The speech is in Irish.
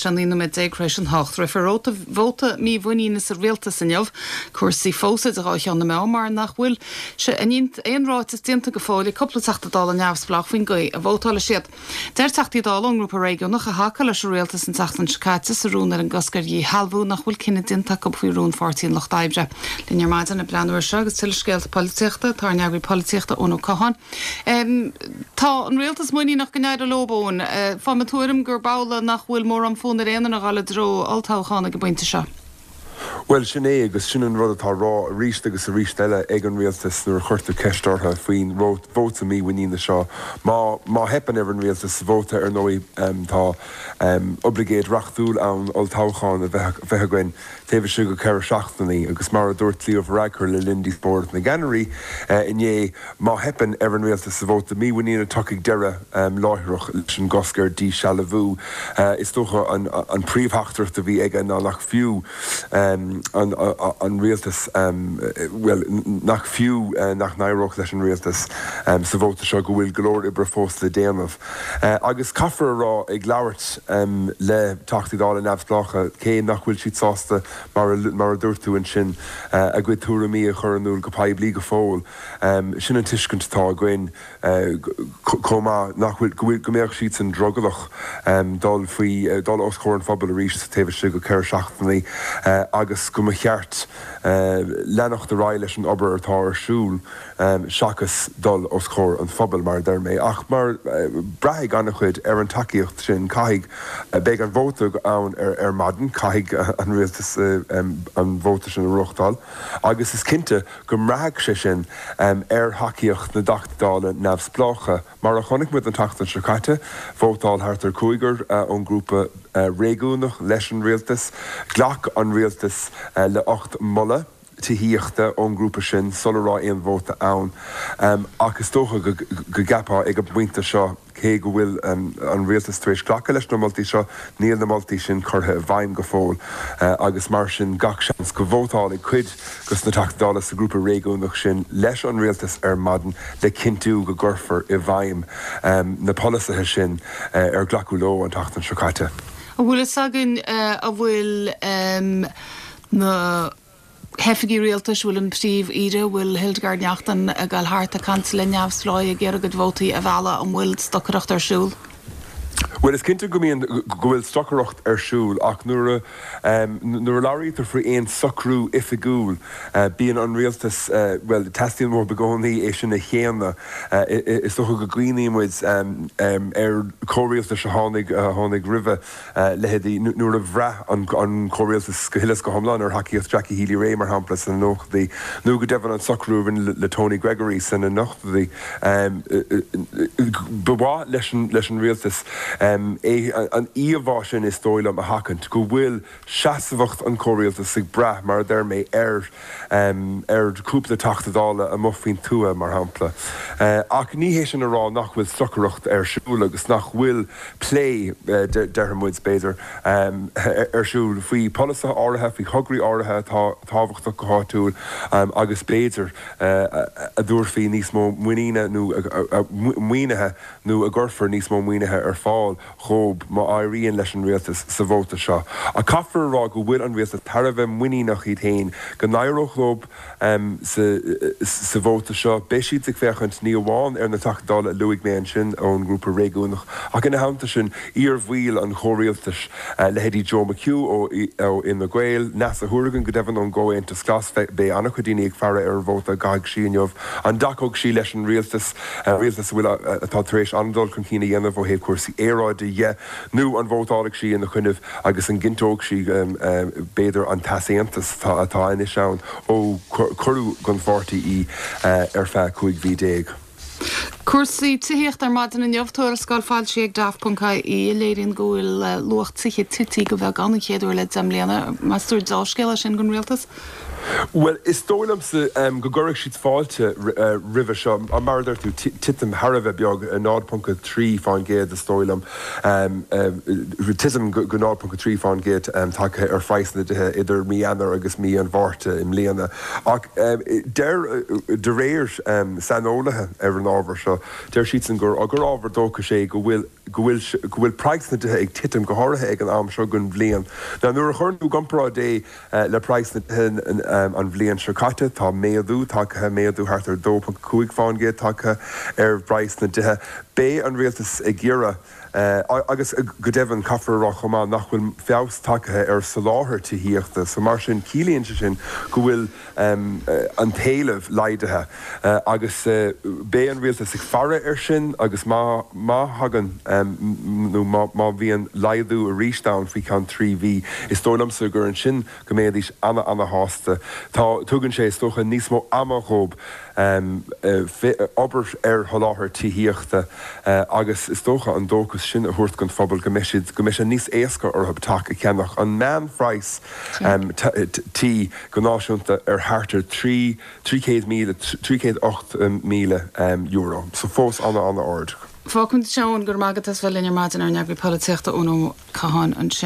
sé 19 nóiméad tar éis an 8. Rithfear vóta mímhuiníne sa rialtas inniu. Cúrsaí fós idir dhá cheann na meá mar nach bhfuil aon ráiteas déanta go fóill ag cúpla Teachta Dála neamhspleách faoin gcaoi a vótálfaidh siad. Deir Teachtaí Dála ón ngrúpa réigiúnach a thacaigh leis an rialtas an tseachtain seo caite sa rún ar an gcosc ar dhíshealbhú nach bhfuil cinneadh déanta acu faoi rún Pháirtí an Lucht Oibre. Linn ar maidin ag breathnú air seo agus tuilleadh scéalta polaitíochta tá ár n-eagraí polaitíochta Eoin Ó Catháin. Tá an rialtas muiníneach go n-éireoidh leo, Eoin. Faighim an tuairim gurb amhlaidh nach bhfuil mórán fonn ar aon duine a dhul i dtreo olltoghcháin ag an bpointe seo. Bhuel, sin é, agus sin an rud atá á rá arís agus arís eile ag an rialtas nuair a chuirtear ceist orthu faoin vóta mímhuiníne seo. Má, má theipeann ar an rialtas sa vóta, ar ndóigh, tá oibleagáid reachtúil ann olltoghchán a bheith, bheith againn taobh istigh de cheithre seachtainí. Agus mar a dúirt Leo Varadkar le linn díospóireacht na gceannairí inné, má theipeann ar an rialtas sa vóta mímhuiníne, tiocfaidh deireadh láithreach leis an gcosc ar dhíshealbhú. Is dócha an, an príomhtheachtaireacht a bhí aige ná nach fiú an rialtas, bhuel, nach fiú nach n-éireodh leis an rialtas sa vóta seo, go bhfuil go leor oibre fós le déanamh. Agus caithfear a rá, ag labhairt le Teachtaí Dála neamhspleácha, cé nach bhfuil siad sásta, mar a dúirt tú ansin, a gcuid tuairimí a chur in iúl go poiblí go fóill, sin an tuiscint atá againn. chomh maith, nach bhfuil, go bhfuil, go mbeadh siadsan drogallach dul faoi, dul os comhair an phobail arís taobh istigh de cheithre seachtainí agus go mba cheart leanacht ar aghaidh leis an obair atá ar siúl seachas dul os comhair an phobail, mar a deir mé. Ach mar, braithfidh an-chuid ar an tacaíocht sin. Caithfidh, beidh an vóta ann ar maidin, caithfidh an rialtas an vóta sin a reáchtáil agus is cinnte go mbraithfidh sé sin ar thacaíocht na dTeachtaí Dála neamhspleácha. Mar a chonaic muid an tseachtain seo caite, vótáil thart ar chúigear ón ngrúpa réigiúnach leis an rialtas. Ghlac an rialtas le 8 moladh tithíochta ón ngrúpa sin sula raibh aon vóta ann. Ach is dócha go gceapfá ag an bpointe seo, Cé go bhfuil an rialtas tar éis glacadh leis na moltaí seo, níl na moltaí sin curtha i bhfeidhm go fóill agus mar sin gach seans go vótálfaidh cuid de na Teachtaí Dála sa ghrúpa réigiúnach sin leis an rialtas ar maidin le cinntiú go gcuirfear i bhfeidhm na polasaithe sin ar glacadh leo an tseachtain seo caite. An bhfuil fhios againn an bhfuil na. hoifigigh rialtais, bhfuil an Príomh-Aoire, bhfuil Hildegarde Naughton ag dul thart ag caint le neamhspleáigh ag iarraidh a gcuid vótaí a mhealladh, an bhfuil stocaireacht ar siúl? Bhuel, is cinnte go mbíonn, go bhfuil stocaireacht ar siúl ach nuair a, nuair a labhraítear faoi aon socrú oifigiúil, bíonn an rialtas, bhuel, teastaíonn uathu i gcónaí é sin a shéanadh. Is dócha go gcuimhníonn muid ar chomhrialtais a tháinig, a tháinig roimhe, leithéidí nuair a bhraith an comhrialtas go huile is go hiomlán ar thacaíocht Jackie Healy-Rae, mar shampla, sna nóchaidí, nó go deimhin an socrú a rinneadh le Tony Gregory sna hochtóidí. Ba mhaith leis an rialtas an íomhá sin, is dóigh liom, a sheachaint, go bhfuil seasmhacht an chomhrialtais ag brath, mar a deir mé, ar ar chúpla Teachta Dála amuigh faoin tuath, mar shampla. Ach ní hé sin a rá nach bhfuil stocaireacht ar siúl agus nach bhfuil plé, déarfaidh muid, b'fhéidir, ar siúl faoi pholasaithe áirithe, faoi thograí áirithe atá tábhachtach go háitiúil agus b'fhéidir a dtabharfaí níos mó muiníne nó maoinithe nó a gcuirfear níos mó maoinithe ar fáil dhóib má éiríonn leis an rialtas sa vóta seo. Ach caithfear a rá go bhfuil an rialtas thar a bheith muiníneach iad féin go n-éireoidh leo sa vóta seo. Beidh siad ag féachaint ní amháin ar na Teachtaí Dála a luaigh mé ansin ón ngrúpa réigiúnach ach ina theannta sin iar-bhaill an chomhrialtais, leithéidí Joe McHugh ó Fhine Gael, Neasa Hourigan go deimhin ón gComhaontas Glas. Beidh an-chuid daoine ag faire ar an vóta a gcaithfidh sí inniu. An dtacóidh sí leis an rialtas? rialtas a bhfuil, atá tar éis an-dul chun cinn a dhéanamh ó thaobh cúrsaí aeráide dhe, nó an vótálfaidh sí ina choinnibh agus an gcinnteoidh sí, b'fhéidir, an t-easaontas atá anois ann ó cuireadh den pháirtí í ar feadh 15 mhí. Cúrsaí tithíochta ar maidin inniu, tuarascáil foilsithe ag Daft.ie a léiríonn go bhfuil luach tithe tite go beagán an chéad uair le 10 mbliana. Meas tú ar deá-scéal é sin don rialtas? Bhuel, is dóigh liomsa go gcuirfeadh siad fáilte roimhe seo. Mar a deir tú, titim thar a bheith beag, 0.3% is dóigh liom, titim go 0.3% tagtha ar phraghas na dtithe idir mí Eanáir agus mí an Mhárta i mbliana. Ach deir, de réir saineolaithe ar an ábhar seo, deir siadsan gur ábhar dóchais é go bhfuil. Go bhfuil, go bhfuil praghas na dtithe ag titim, go háirithe ag an am seo den bhliain. Now nuair a chuireann tú i gcomparáid é le praghas na dtithe an bhliain seo caite, tá méadú tagtha, méadú thart ar 2.5 fán gcéad tagtha ar phraghas na dtithe. Beidh an rialtas ag iarraidh, agus go deimhin caithfear a rá chomh maith nach bhfuil feabhas tagtha ar soláthar tithíochta, so mar sin ciallaíonn sé sin go bhfuil an t-éileamh laghdaithe agus beidh an rialtas ag faire air sin agus má má thagann nó má má bhíonn laghdú arís ann faoi cheann 3 mhí, is dóigh liomsa gur ansin go mbeidís ana ana shásta. Tá, tugann sé is dócha níos mó ama dhóibh obair ar sholáthar tithíochta agus is dócha an dóchas sin a thabhairt don phobal go mbeidh siad, go mbeidh sé níos éasca orthu teach a cheannach. An meánphraghas tí go náisiúnta ar thart ar 300,000, €308,000, so fós ana-ana-ard. Fágfaimid ansin é, go raibh maith agat as bheith linn ar maidin, ár n-eagraí polaitíochta Eoin Ó Catháin ansin.